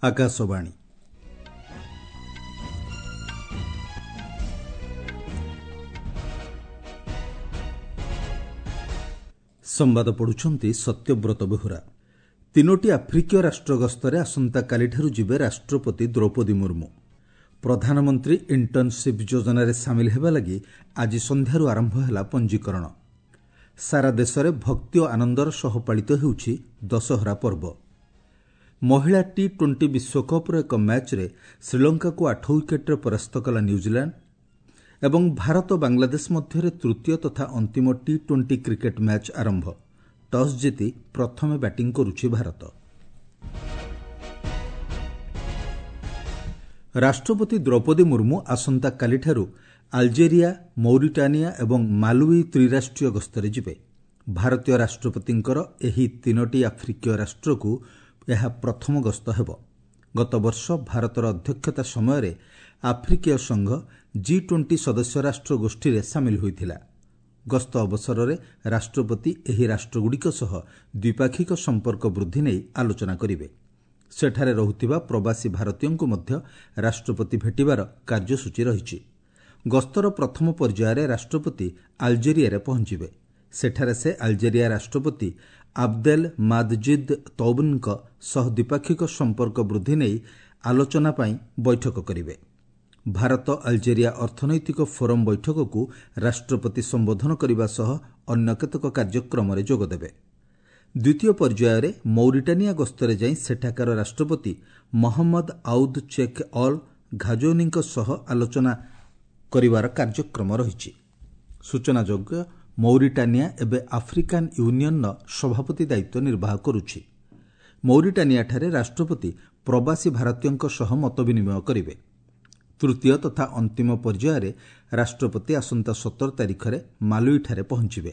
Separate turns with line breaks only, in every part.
ଆକାଶବାଣୀ। ସମ୍ବାଦ ପଢ଼ୁଛନ୍ତି ସତ୍ୟବ୍ରତ ବେହୁରା। ତିନୋଟି ଆଫ୍ରିକୀୟ ରାଷ୍ଟ୍ର ଗସ୍ତରେ ଆସନ୍ତାକାଲିଠାରୁ ଯିବେ ରାଷ୍ଟ୍ରପତି ଦ୍ରୌପଦୀ ମୁର୍ମୁ। ପ୍ରଧାନମନ୍ତ୍ରୀ ଇଣ୍ଟର୍ଣ୍ଣସିପ୍ ଯୋଜନାରେ ସାମିଲ ହେବା ଲାଗି ଆଜି ସନ୍ଧ୍ୟାରୁ ଆରମ୍ଭ ହେଲା ପଞ୍ଜୀକରଣ। ସାରା ଦେଶରେ ଭକ୍ତି ଓ ଆନନ୍ଦର ସହ ପାଳିତ ହେଉଛି ଦଶହରା ପର୍ବ। ମହିଳା ଟି-20 ବିଶ୍ୱକପ୍ର ଏକ ମ୍ୟାଚ୍ରେ ଶ୍ରୀଲଙ୍କାକୁ 8 ୱିକେଟ୍ରେ ପରାସ୍ତ କଲା ନ୍ୟୁଜିଲାଣ୍ଡ ଏବଂ ଭାରତ ବାଂଲାଦେଶ ମଧ୍ୟରେ ତୃତୀୟ ତଥା ଅନ୍ତିମ ଟି-20 କ୍ରିକେଟ୍ ମ୍ୟାଚ୍ ଆରମ୍ଭ। ଟସ୍ ଜିତି ପ୍ରଥମେ ବ୍ୟାଟିଂ କରୁଛି ଭାରତ। ରାଷ୍ଟ୍ରପତି ଦ୍ରୌପଦୀ ମୁର୍ମୁ ଆସନ୍ତାକାଲିଠାରୁ ଆଲଜେରିଆ, ମୌରିଟାନିଆ ଏବଂ ମାଲୱି ତ୍ରିରାଷ୍ଟ୍ରୀୟ ଗସ୍ତରେ ଯିବେ। ଭାରତୀୟ ରାଷ୍ଟ୍ରପତିଙ୍କର ଏହି ତିନୋଟି ଆଫ୍ରିକୀୟ ରାଷ୍ଟ୍ରକୁ ଏହା ପ୍ରଥମ ଗସ୍ତ ହେବ। ଗତବର୍ଷ ଭାରତର ଅଧ୍ୟକ୍ଷତା ସମୟରେ ଆଫ୍ରିକୀୟ ସଂଘ ଜି-20 ସଦସ୍ୟ ରାଷ୍ଟ୍ର ଗୋଷ୍ଠୀରେ ସାମିଲ ହୋଇଥିଲା। ଗସ୍ତ ଅବସରରେ ରାଷ୍ଟ୍ରପତି ଏହି ରାଷ୍ଟ୍ରଗୁଡ଼ିକ ସହ ଦ୍ୱିପାକ୍ଷିକ ସମ୍ପର୍କ ବୃଦ୍ଧି ନେଇ ଆଲୋଚନା କରିବେ। ସେଠାରେ ରହୁଥିବା ପ୍ରବାସୀ ଭାରତୀୟଙ୍କୁ ମଧ୍ୟ ରାଷ୍ଟ୍ରପତି ଭେଟିବାର କାର୍ଯ୍ୟସୂଚୀ ରହିଛି। ଗସ୍ତର ପ୍ରଥମ ପର୍ଯ୍ୟାୟରେ ରାଷ୍ଟ୍ରପତି ଆଲଜେରିଆରେ ପହଞ୍ଚିବେ। ସେଠାରେ ସେ ଆଲଜେରିଆ ରାଷ୍ଟ୍ରପତି ଆବଦେଲ ମାଦଜିଦ୍ ତୌବନ୍ଙ୍କ ସହ ଦ୍ୱିପାକ୍ଷିକ ସମ୍ପର୍କ ବୃଦ୍ଧି ନେଇ ଆଲୋଚନା ପାଇଁ ବୈଠକ କରିବେ। ଭାରତ ଆଲଜେରିଆ ଅର୍ଥନୈତିକ ଫୋରମ୍ ବୈଠକକୁ ରାଷ୍ଟ୍ରପତି ସମ୍ବୋଧନ କରିବା ସହ ଅନ୍ୟ କେତେକ କାର୍ଯ୍ୟକ୍ରମରେ ଯୋଗଦେବେ। ଦ୍ୱିତୀୟ ପର୍ଯ୍ୟାୟରେ ମୌରିଟାନିଆ ଗସ୍ତରେ ଯାଇ ସେଠାକାର ରାଷ୍ଟ୍ରପତି ମହମ୍ମଦ ଆଉଦ୍ ଚେକ୍ ଅଲ୍ ଘାଜୌନିଙ୍କ ସହ ଆଲୋଚନା କରିବାର କାର୍ଯ୍ୟକ୍ରମ ରହିଛି। ସୂଚନାଯୋଗ୍ୟ, ମୌରିଟାନିଆ ଏବେ ଆଫ୍ରିକାନ୍ ୟୁନିୟନ୍ର ସଭାପତି ଦାୟିତ୍ୱ ନିର୍ବାହ କରୁଛି। ମୌରିଟାନିଆଠାରେ ରାଷ୍ଟ୍ରପତି ପ୍ରବାସୀ ଭାରତୀୟଙ୍କ ସହ ମତବିନିମୟ କରିବେ। ତୃତୀୟ ତଥା ଅନ୍ତିମ ପର୍ଯ୍ୟାୟରେ ରାଷ୍ଟ୍ରପତି ଆସନ୍ତା 17 ତାରିଖରେ ମାଲୁଇଠାରେ ପହଞ୍ଚିବେ।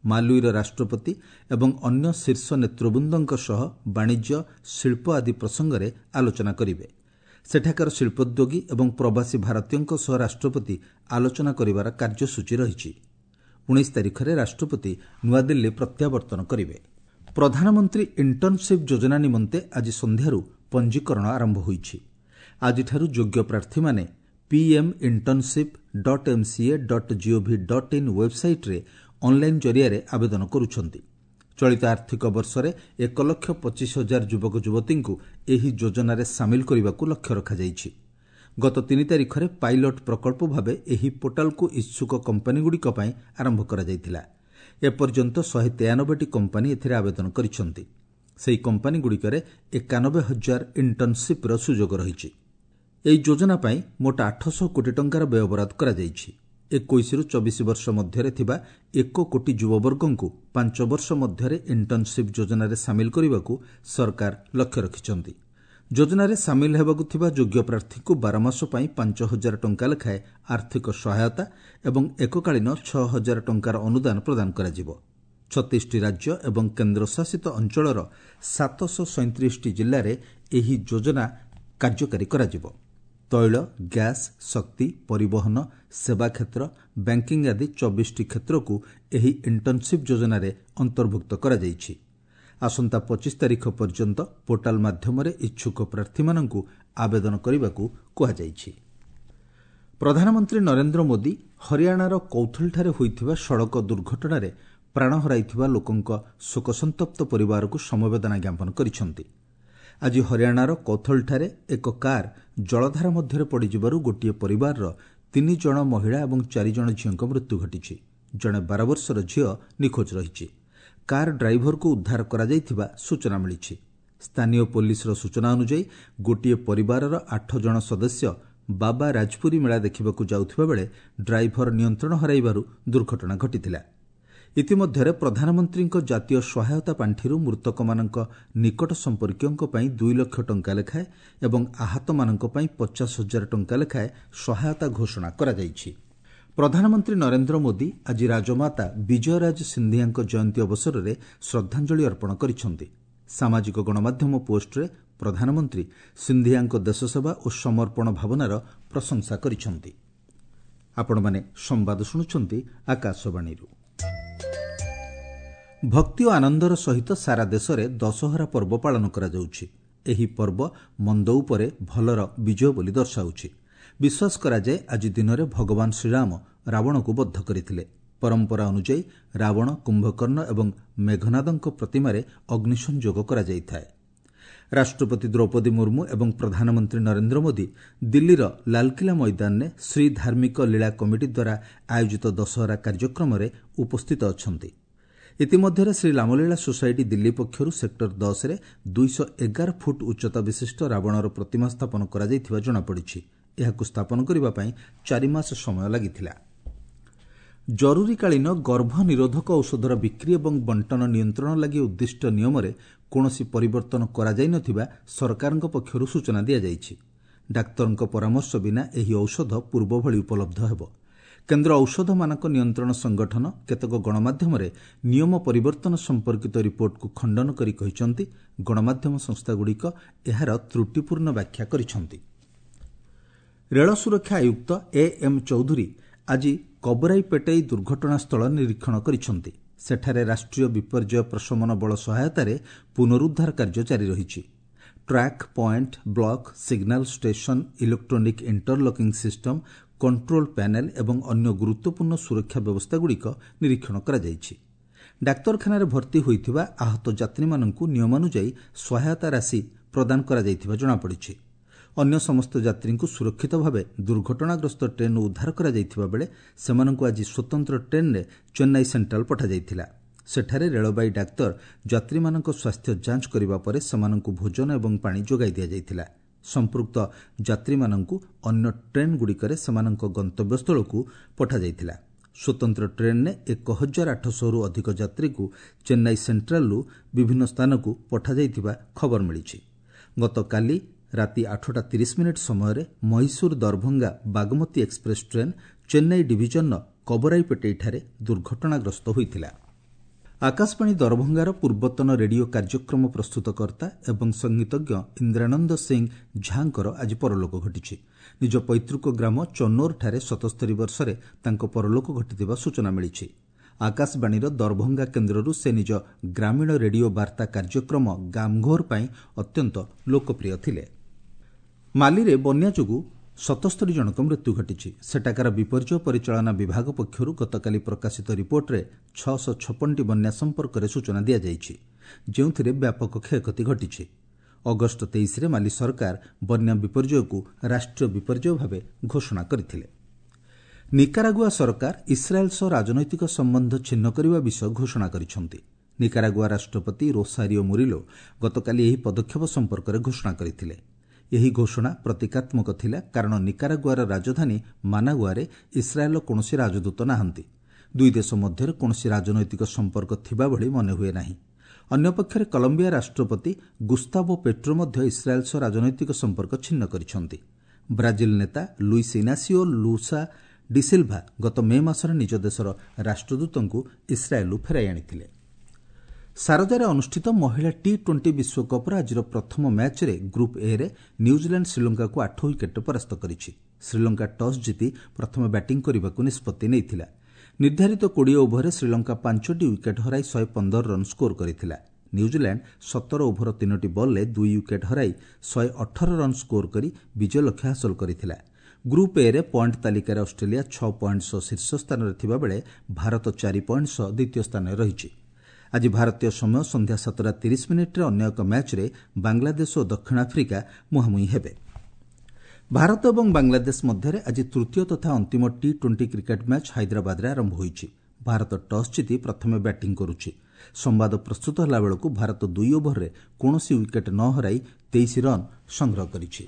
ମାଲୁଇର ରାଷ୍ଟ୍ରପତି ଏବଂ ଅନ୍ୟ ଶୀର୍ଷ ନେତୃବୃନ୍ଦଙ୍କ ସହ ବାଣିଜ୍ୟ, ଶିଳ୍ପ ଆଦି ପ୍ରସଙ୍ଗରେ ଆଲୋଚନା କରିବେ। ସେଠାକାର ଶିଳ୍ପୋଦ୍ୟୋଗୀ ଏବଂ ପ୍ରବାସୀ ଭାରତୀୟଙ୍କ ସହ ରାଷ୍ଟ୍ରପତି ଆଲୋଚନା କରିବାର କାର୍ଯ୍ୟସୂଚୀ ରହିଛି। 19 ତାରିଖରେ ରାଷ୍ଟ୍ରପତି ନୂଆଦିଲ୍ଲୀ ପ୍ରତ୍ୟାବର୍ତ୍ତନ କରିବେ। ପ୍ରଧାନମନ୍ତ୍ରୀ ଇଣ୍ଟର୍ଣ୍ଣସିପ୍ ଯୋଜନା ନିମନ୍ତେ ଆଜି ସନ୍ଧ୍ୟାରୁ ପଞ୍ଜୀକରଣ ଆରମ୍ଭ ହୋଇଛି। ଆଜିଠାରୁ ଯୋଗ୍ୟ ପ୍ରାର୍ଥୀମାନେ pminternship.mca.gov.in ୱେବ୍ସାଇଟ୍ରେ ଅନ୍ଲାଇନ୍ ଜରିଆରେ ଆବେଦନ କରୁଛନ୍ତି। ଚଳିତ ଆର୍ଥିକ ବର୍ଷରେ 1,25,000 ଯୁବକ ଯୁବତୀଙ୍କୁ ଏହି ଯୋଜନାରେ ସାମିଲ କରିବାକୁ ଲକ୍ଷ୍ୟ ରଖାଯାଇଛି। ଗତ 3 ତାରିଖରେ ପାଇଲଟ୍ ପ୍ରକଳ୍ପ ଭାବେ ଏହି ପୋର୍ଟାଲକୁ ଇଚ୍ଛୁକ କମ୍ପାନୀଗୁଡ଼ିକ ପାଇଁ ଆରମ୍ଭ କରାଯାଇଥିଲା। ଏପର୍ଯ୍ୟନ୍ତ 193ଟି କମ୍ପାନୀ ଏଥିରେ ଆବେଦନ କରିଛନ୍ତି। ସେହି କମ୍ପାନୀଗୁଡ଼ିକରେ 91,000 ଇଣ୍ଟର୍ଣ୍ଣସିପ୍ର ସୁଯୋଗ ରହିଛି। ଏହି ଯୋଜନା ପାଇଁ ମୋଟ 800 କୋଟି ଟଙ୍କାର ବ୍ୟୟବରାଦ କରାଯାଇଛି। 21ରୁ 24 ବର୍ଷ ମଧ୍ୟରେ ଥିବା 1 କୋଟି ଯୁବବର୍ଗଙ୍କୁ 5 ବର୍ଷ ମଧ୍ୟରେ ଇଣ୍ଟର୍ଣ୍ଣସିପ୍ ଯୋଜନାରେ ସାମିଲ କରିବାକୁ ସରକାର ଲକ୍ଷ୍ୟ ରଖିଛନ୍ତି। ଯୋଜନାରେ ସାମିଲ ହେବାକୁ ଥିବା ଯୋଗ୍ୟ ପ୍ରାର୍ଥୀଙ୍କୁ 12 ମାସ ପାଇଁ 5,000 ଟଙ୍କା ଲେଖାଏଁ ଆର୍ଥିକ ସହାୟତା ଏବଂ ଏକକାଳୀନ 6,000 ଟଙ୍କାର ଅନୁଦାନ ପ୍ରଦାନ କରାଯିବ। 36ଟି ରାଜ୍ୟ ଏବଂ କେନ୍ଦ୍ରଶାସିତ ଅଞ୍ଚଳର 737ଟି ଜିଲ୍ଲାରେ ଏହି ଯୋଜନା କାର୍ଯ୍ୟକାରୀ କରାଯିବ। ତୈଳ, ଗ୍ୟାସ୍, ଶକ୍ତି, ପରିବହନ, ସେବା କ୍ଷେତ୍ର, ବ୍ୟାଙ୍କିଂ ଆଦି 24ଟି କ୍ଷେତ୍ରକୁ ଏହି ଇଣ୍ଟର୍ଣ୍ଣସିପ୍ ଯୋଜନାରେ ଅନ୍ତର୍ଭୁକ୍ତ କରାଯାଇଛି। ଆସନ୍ତା 25 ତାରିଖ ପର୍ଯ୍ୟନ୍ତ ପୋର୍ଟାଲ ମାଧ୍ୟମରେ ଇଚ୍ଛୁକ ପ୍ରାର୍ଥୀମାନଙ୍କୁ ଆବେଦନ କରିବାକୁ କୁହାଯାଇଛି। ପ୍ରଧାନମନ୍ତ୍ରୀ ନରେନ୍ଦ୍ର ମୋଦି ହରିୟାଣାର କୌଥଲଠାରେ ହୋଇଥିବା ସଡ଼କ ଦୁର୍ଘଟଣାରେ ପ୍ରାଣ ହରାଇଥିବା ଲୋକଙ୍କ ଶୋକସନ୍ତପ୍ତ ପରିବାରକୁ ସମବେଦନା ଜ୍ଞାପନ କରିଛନ୍ତି। ଆଜି ହରିୟାଣାର କୌଥଲଠାରେ ଏକ କାର୍ ଜଳଧାରା ମଧ୍ୟରେ ପଡ଼ିଯିବାରୁ ଗୋଟିଏ ପରିବାରର 3 ଜଣ ମହିଳା ଏବଂ 4 ଜଣ ଝିଅଙ୍କ ମୃତ୍ୟୁ ଘଟିଛି। ଜଣେ 12 ବର୍ଷର ଝିଅ ନିଖୋଜ ରହିଛି। କାର୍ ଡ୍ରାଇଭରକୁ ଉଦ୍ଧାର କରାଯାଇଥିବା ସୂଚନା ମିଳିଛି। ସ୍ଥାନୀୟ ପୋଲିସର ସୂଚନା ଅନୁଯାୟୀ ଗୋଟିଏ ପରିବାରର 8 ଜଣ ସଦସ୍ୟ ବାବା ରାଜପୁରୀ ମେଳା ଦେଖିବାକୁ ଯାଉଥିବା ବେଳେ ଡ୍ରାଇଭର ନିୟନ୍ତ୍ରଣ ହରାଇବାରୁ ଦୁର୍ଘଟଣା ଘଟିଥିଲା। ଇତିମଧ୍ୟରେ ପ୍ରଧାନମନ୍ତ୍ରୀଙ୍କ ଜାତୀୟ ସହାୟତା ପାଣ୍ଠିରୁ ମୃତକମାନଙ୍କ ନିକଟ ସମ୍ପର୍କୀୟଙ୍କ ପାଇଁ 2 ଲକ୍ଷ ଟଙ୍କା ଲେଖାଏଁ ଏବଂ ଆହତମାନଙ୍କ ପାଇଁ 50,000 ଟଙ୍କା ଲେଖାଏଁ ସହାୟତା ଘୋଷଣା କରାଯାଇଛି। ପ୍ରଧାନମନ୍ତ୍ରୀ ନରେନ୍ଦ୍ର ମୋଦି ଆଜି ରାଜମାତା ବିଜୟରାଜ ସିନ୍ଧିଆଙ୍କ ଜୟନ୍ତୀ ଅବସରରେ ଶ୍ରଦ୍ଧାଞ୍ଜଳି ଅର୍ପଣ କରିଛନ୍ତି। ସାମାଜିକ ଗଣମାଧ୍ୟମ ପୋଷ୍ଟରେ ପ୍ରଧାନମନ୍ତ୍ରୀ ସିନ୍ଧିଆଙ୍କ ଦେଶସେବା ଓ ସମର୍ପଣ ଭାବନାର ପ୍ରଶଂସା କରିଛନ୍ତି। ଆପଣମାନେ ସମ୍ବାଦ ଶୁଣୁଛନ୍ତି ଆକାଶବାଣୀରୁ। ଭକ୍ତି ଓ ଆନନ୍ଦର ସହିତ ସାରା ଦେଶରେ ଦଶହରା ପର୍ବ ପାଳନ କରାଯାଉଛି। ଏହି ପର୍ବ ମନ୍ଦ ଉପରେ ଭଲର ବିଜୟ ବୋଲି ଦର୍ଶାଉଛି। ବିଶ୍ୱାସ କରାଯାଏ, ଆଜି ଦିନରେ ଭଗବାନ ଶ୍ରୀରାମ ରାବଣକୁ ବଦ୍ଧ କରିଥିଲେ। ପରମ୍ପରା ଅନୁଯାୟୀ ରାବଣ, କୁମ୍ଭକର୍ଣ୍ଣ ଏବଂ ମେଘନାଦଙ୍କ ପ୍ରତିମାରେ ଅଗ୍ନିସଂଯୋଗ କରାଯାଇଥାଏ। ରାଷ୍ଟ୍ରପତି ଦ୍ରୌପଦୀ ମୁର୍ମୁ ଏବଂ ପ୍ରଧାନମନ୍ତ୍ରୀ ନରେନ୍ଦ୍ର ମୋଦି ଦିଲ୍ଲୀର ଲାଲକିଲ୍ଲା ମଇଦାନରେ ଶ୍ରୀ ଧାର୍ମିକ ଲୀଳା କମିଟି ଦ୍ୱାରା ଆୟୋଜିତ ଦଶହରା କାର୍ଯ୍ୟକ୍ରମରେ ଉପସ୍ଥିତ ଅଛନ୍ତି। ଇତିମଧ୍ୟରେ ଶ୍ରୀ ରାମଲୀଳା ସୋସାଇଟି ଦିଲ୍ଲୀ ପକ୍ଷରୁ ସେକ୍ଟର 10ରେ 211 ଫୁଟ ଉଚ୍ଚତା ବିଶିଷ୍ଟ ରାବଣର ପ୍ରତିମା ସ୍ଥାପନ କରାଯାଇଥିବା ଜଣାପଡ଼ିଛି। ଏହାକୁ ସ୍ଥାପନ କରିବା ପାଇଁ 4 ମାସ ସମୟ ଲାଗିଥିଲା। ଜରୁରୀକାଳୀନ ଗର୍ଭ ନିରୋଧକ ଔଷଧର ବିକ୍ରି ଏବଂ ବଣ୍ଟନ ନିୟନ୍ତ୍ରଣ ଲାଗି ଉଦ୍ଦିଷ୍ଟ ନିୟମରେ କୌଣସି ପରିବର୍ତ୍ତନ କରାଯାଇନଥିବା ସରକାରଙ୍କ ପକ୍ଷରୁ ସୂଚନା ଦିଆଯାଇଛି। ଡାକ୍ତରଙ୍କ ପରାମର୍ଶ ବିନା ଏହି ଔଷଧ ପୂର୍ବଭଳି ଉପଲବ୍ଧ ହେବ। କେନ୍ଦ୍ର ଔଷଧ ମାନକ ନିୟନ୍ତ୍ରଣ ସଂଗଠନ କେତେକ ଗଣମାଧ୍ୟମରେ ନିୟମ ପରିବର୍ତ୍ତନ ସମ୍ପର୍କିତ ରିପୋର୍ଟକୁ ଖଣ୍ଡନ କରି କହିଛନ୍ତି, ଗଣମାଧ୍ୟମ ସଂସ୍ଥାଗୁଡ଼ିକ ଏହାର ତ୍ରୁଟିପୂର୍ଣ୍ଣ ବ୍ୟାଖ୍ୟା କରିଛନ୍ତି। ରେଳ ସୁରକ୍ଷା ଆୟୁକ୍ତ ଏ ଏମ୍ ଚୌଧୁରୀ ଆଜି କବରାଇପେଟେଇ ଦୁର୍ଘଟଣାସ୍ଥଳ ନିରୀକ୍ଷଣ କରିଛନ୍ତି। ସେଠାରେ ରାଷ୍ଟ୍ରୀୟ ବିପର୍ଯ୍ୟୟ ପ୍ରଶମନ ବଳ ସହାୟତାରେ ପୁନରୁଦ୍ଧାର କାର୍ଯ୍ୟ ଜାରି ରହିଛି। Track, point, block, signal station, electronic interlocking system, control panel ଏବଂ ଅନ୍ୟ ଗୁରୁତ୍ୱପୂର୍ଣ୍ଣ ସୁରକ୍ଷା ବ୍ୟବସ୍ଥାଗୁଡ଼ିକ ନିରୀକ୍ଷଣ କରାଯାଇଛି। ଡାକ୍ତରଖାନାରେ ଭର୍ତ୍ତି ହୋଇଥିବା ଆହତ ଯାତ୍ରୀମାନଙ୍କୁ ନିୟମାନୁଯାୟୀ ସହାୟତା ରାଶି ପ୍ରଦାନ କରାଯାଇଥିବା ଜଣାପଡ଼ିଛି। ଅନ୍ୟ ସମସ୍ତ ଯାତ୍ରୀଙ୍କୁ ସୁରକ୍ଷିତ ଭାବେ ଦୁର୍ଘଟଣାଗ୍ରସ୍ତ ଟ୍ରେନ୍ରୁ ଉଦ୍ଧାର କରାଯାଇଥିବା ବେଳେ ସେମାନଙ୍କୁ ଆଜି ସ୍ୱତନ୍ତ୍ର ଟ୍ରେନ୍ରେ ଚେନ୍ନାଇ ସେଣ୍ଟ୍ରାଲ ପଠାଯାଇଥିଲା। ସେଠାରେ ରେଳବାଇ ଡାକ୍ତର ଯାତ୍ରୀମାନଙ୍କ ସ୍ୱାସ୍ଥ୍ୟ ଯାଞ୍ଚ କରିବା ପରେ ସେମାନଙ୍କୁ ଭୋଜନ ଏବଂ ପାଣି ଯୋଗାଇ ଦିଆଯାଇଥିଲା। ସମ୍ପୃକ୍ତ ଯାତ୍ରୀମାନଙ୍କୁ ଅନ୍ୟ ଟ୍ରେନ୍ଗୁଡ଼ିକରେ ସେମାନଙ୍କ ଗନ୍ତବ୍ୟସ୍ଥଳକୁ ପଠାଯାଇଥିଲା। ସ୍ୱତନ୍ତ୍ର ଟ୍ରେନ୍ରେ 1800ରୁ ଅଧିକ ଯାତ୍ରୀଙ୍କୁ ଚେନ୍ନାଇ ସେଣ୍ଟ୍ରାଲରୁ ବିଭିନ୍ନ ସ୍ଥାନକୁ ପଠାଯାଇଥିବା ଖବର ମିଳିଛି। ଗତକାଲି ରାତି 8ଟା 30 ମିନିଟ୍ ସମୟରେ ମହୀଶୂର ଦରଭଙ୍ଗା ବାଗମତୀ ଏକ୍ସପ୍ରେସ୍ ଟ୍ରେନ୍ ଚେନ୍ନାଇ ଡିଭିଜନର କବରାଇପେଟେଇଠାରେ ଦୁର୍ଘଟଣାଗ୍ରସ୍ତ ହୋଇଥିଲା। ଆକାଶବାଣୀ ଦରଭଙ୍ଗାର ପୂର୍ବତନ ରେଡିଓ କାର୍ଯ୍ୟକ୍ରମ ପ୍ରସ୍ତୁତକର୍ତ୍ତା ଏବଂ ସଙ୍ଗୀତଜ୍ଞ ଇନ୍ଦ୍ରାନନ୍ଦ ସିଂ ଝାଙ୍କର ଆଜି ପରଲୋକ ଘଟିଛି। ନିଜ ପୈତୃକ ଗ୍ରାମ ଚନୋରଠାରେ 77 ବର୍ଷରେ ତାଙ୍କ ପରଲୋକ ଘଟିଥିବା ସୂଚନା ମିଳିଛି। ଆକାଶବାଣୀର ଦରଭଙ୍ଗା କେନ୍ଦ୍ରରୁ ସେ ନିଜ ଗ୍ରାମୀଣ ରେଡିଓ ବାର୍ତ୍ତା କାର୍ଯ୍ୟକ୍ରମ ଗାମ୍ଘୋର ପାଇଁ ଅତ୍ୟନ୍ତ ଲୋକପ୍ରିୟ ଥିଲେ। ମାଲିରେ ବନ୍ୟା ଯୋଗୁଁ 77 ଜଣଙ୍କ ମୃତ୍ୟୁ ଘଟିଛି। ସେଠାକାର ବିପର୍ଯ୍ୟୟ ପରିଚାଳନା ବିଭାଗ ପକ୍ଷରୁ ଗତକାଲି ପ୍ରକାଶିତ ରିପୋର୍ଟରେ 656ଟି ବନ୍ୟା ସମ୍ପର୍କରେ ସୂଚନା ଦିଆଯାଇଛି, ଯେଉଁଥିରେ ବ୍ୟାପକ କ୍ଷୟକ୍ଷତି ଘଟିଛି। ଅଗଷ୍ଟ 23ରେ ମାଲି ସରକାର ବନ୍ୟା ବିପର୍ଯ୍ୟୟକୁ ରାଷ୍ଟ୍ରୀୟ ବିପର୍ଯ୍ୟୟ ଭାବେ ଘୋଷଣା କରିଥିଲେ। ନିକାରାଗୁଆ ସରକାର ଇସ୍ରାଏଲ୍ ସହ ରାଜନୈତିକ ସମ୍ବନ୍ଧ ଛିନ୍ନ କରିବା ବିଷୟ ଘୋଷଣା କରିଛନ୍ତି। ନିକାରାଗୁଆ ରାଷ୍ଟ୍ରପତି ରୋସାରିଓ ମୁରିଲୋ ଗତକାଲି ଏହି ପଦକ୍ଷେପ ସମ୍ପର୍କରେ ଘୋଷଣା କରିଥିଲେ। ଏହି ଘୋଷଣା ପ୍ରତୀକାତ୍ମକ ଥିଲା, କାରଣ ନିକାରାଗୁଆର ରାଜଧାନୀ ମାନାଗୁଆରେ ଇସ୍ରାଏଲ୍ର କୌଣସି ରାଜଦୂତ ନାହାନ୍ତି। ଦୁଇ ଦେଶ ମଧ୍ୟରେ କୌଣସି ରାଜନୈତିକ ସମ୍ପର୍କ ଥିବା ଭଳି ମନେହୁଏ ନାହିଁ। ଅନ୍ୟପକ୍ଷରେ କଲମ୍ବିଆ ରାଷ୍ଟ୍ରପତି ଗୁସ୍ତାଭୋ ପେଟ୍ରୋ ମଧ୍ୟ ଇସ୍ରାଏଲ୍ ସହ ରାଜନୈତିକ ସମ୍ପର୍କ ଛିନ୍ନ କରିଛନ୍ତି। ବ୍ରାଜିଲ ନେତା ଲୁଇସ୍ ଇନାସିଓ ଲୁଲା ଡିସିଲ୍ଭା ଗତ ମେ ମାସରେ ନିଜ ଦେଶର ରାଷ୍ଟ୍ରଦୂତଙ୍କୁ ଇସ୍ରାଏଲ୍ରୁ ଫେରାଇ ଆଣିଥିଲେ। ସାରଜାରେ ଅନୁଷ୍ଠିତ ମହିଳା ଟି-20 ବିଶ୍ୱକପ୍ର ଆଜିର ପ୍ରଥମ ମ୍ୟାଚ୍ରେ ଗ୍ରୁପ୍ ଏରେ ନ୍ୟୁଜିଲାଣ୍ଡ ଶ୍ରୀଲଙ୍କାକୁ 8 ୱିକେଟ୍ରେ ପରାସ୍ତ କରିଛି। ଶ୍ରୀଲଙ୍କା ଟସ୍ ଜିତି ପ୍ରଥମେ ବ୍ୟାଟିଂ କରିବାକୁ ନିଷ୍ପତ୍ତି ନେଇଥିଲା। ନିର୍ଦ୍ଧାରିତ 20 ଓଭରରେ ଶ୍ରୀଲଙ୍କା ପାଞ୍ଚଟି ୱିକେଟ୍ ହରାଇ 115 ରନ୍ ସ୍କୋର କରିଥିଲା। ନ୍ୟୁଜିଲାଣ୍ଡ 17 ଓଭର ତିନୋଟି ବଲ୍ରେ ଦୁଇ ୱିକେଟ୍ ହରାଇ 118 ରନ୍ ସ୍କୋର କରି ବିଜୟ ଲକ୍ଷ୍ୟ ହାସଲ କରିଥିଲା। ଗ୍ରୁପ୍ ଏରେ ପଏଣ୍ଟ ତାଲିକାରେ ଅଷ୍ଟ୍ରେଲିଆ 6 ପଏଣ୍ଟ ସହ ଶୀର୍ଷ ସ୍ଥାନରେ ଥିବାବେଳେ ଭାରତ 4 ପଏଣ୍ଟ ସହ ଦ୍ୱିତୀୟ ସ୍ଥାନରେ ରହିଛି। ଆଜି ଭାରତୀୟ ସମୟ ସନ୍ଧ୍ୟା 7ଟା 30 ମିନିଟ୍ରେ ଅନ୍ୟ ଏକ ମ୍ୟାଚ୍ରେ ବାଂଲାଦେଶ ଓ ଦକ୍ଷିଣ ଆଫ୍ରିକା ମୁହାଁମୁହିଁ ହେବେ। ଭାରତ ଏବଂ ବାଂଲାଦେଶ ମଧ୍ୟରେ ଆଜି ତୃତୀୟ ତଥା ଅନ୍ତିମ ଟି-20 କ୍ରିକେଟ୍ ମ୍ୟାଚ୍ ହାଇଦ୍ରାବାଦରେ ଆରମ୍ଭ ହୋଇଛି। ଭାରତ ଟସ୍ ଜିତି ପ୍ରଥମେ ବ୍ୟାଟିଂ କରୁଛି। ସମ୍ବାଦ ପ୍ରସ୍ତୁତ ହେଲାବେଳକୁ ଭାରତ ଦୁଇ ଓଭରରେ କୌଣସି ୱିକେଟ୍ ନ ହରାଇ 23 ରନ୍ ସଂଗ୍ରହ କରିଛି।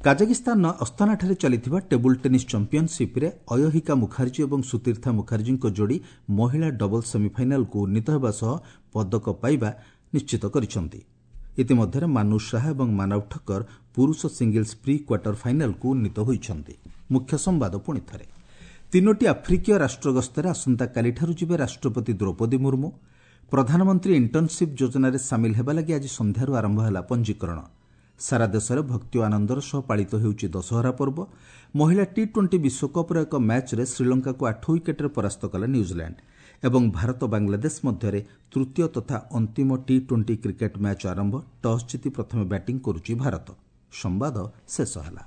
କାଜାକିସ୍ତାନର ଅସ୍ତାନାଠାରେ ଚାଲିଥିବା ଟେବୁଲ୍ ଟେନିସ୍ ଚାମ୍ପିୟନସିପ୍ରେ ଅୟହିକା ମୁଖାର୍ଜୀ ଏବଂ ସୁତୀର୍ଥା ମୁଖାର୍ଜୀଙ୍କ ଯୋଡ଼ି ମହିଳା ଡବଲ୍ସ ସେମିଫାଇନାଲକୁ ଉନ୍ନୀତ ହେବା ସହ ପଦକ ପାଇବା ନିଶ୍ଚିତ କରିଛନ୍ତି। ଇତିମଧ୍ୟରେ ମାନୁ ଶାହା ଏବଂ ମାନବ ଠକ୍କର ପୁରୁଷ ସିଙ୍ଗଲ୍ସ ପ୍ରି କ୍ୱାର୍ଟର ଫାଇନାଲକୁ ଉନ୍ନୀତ ହୋଇଛନ୍ତି। ମୁଖ୍ୟ ସମ୍ବାଦ ପୁଣି ଥରେ। ତିନୋଟି ଆଫ୍ରିକୀୟ ରାଷ୍ଟ୍ର ଗସ୍ତରେ ଆସନ୍ତାକାଲିଠାରୁ ଯିବେ ରାଷ୍ଟ୍ରପତି ଦ୍ରୌପଦୀ ମୁର୍ମୁ। ପ୍ରଧାନମନ୍ତ୍ରୀ ଇଣ୍ଟର୍ଣ୍ଣସିପ୍ ଯୋଜନାରେ ସାମିଲ ହେବା ଲାଗି ଆଜି ସନ୍ଧ୍ୟାରୁ ଆରମ୍ଭ ହେଲା ପଞ୍ଜୀକରଣ। ସାରା ଦେଶରେ ଭକ୍ତି ଓ ଆନନ୍ଦର ସହ ପାଳିତ ହେଉଛି ଦଶହରା ପର୍ବ। ମହିଳା ଟି-20 ବିଶ୍ୱକପ୍ର ଏକ ମ୍ୟାଚ୍ରେ ଶ୍ରୀଲଙ୍କାକୁ 8 ୱିକେଟ୍ରେ ପରାସ୍ତ କଲା ନ୍ୟୁଜିଲାଣ୍ଡ। ଏବଂ ଭାରତ ବାଂଲାଦେଶ ମଧ୍ୟରେ ତୃତୀୟ ତଥା ଅନ୍ତିମ ଟି ଟ୍ୱେଣ୍ଟି କ୍ରିକେଟ୍ ମ୍ୟାଚ୍ ଆରମ୍ଭ। ଟସ୍ ଜିତି ପ୍ରଥମେ ବ୍ୟାଟିଂ କରୁଛି ଭାରତ। ସମ୍ବାଦ ଶେଷ ହେଲା।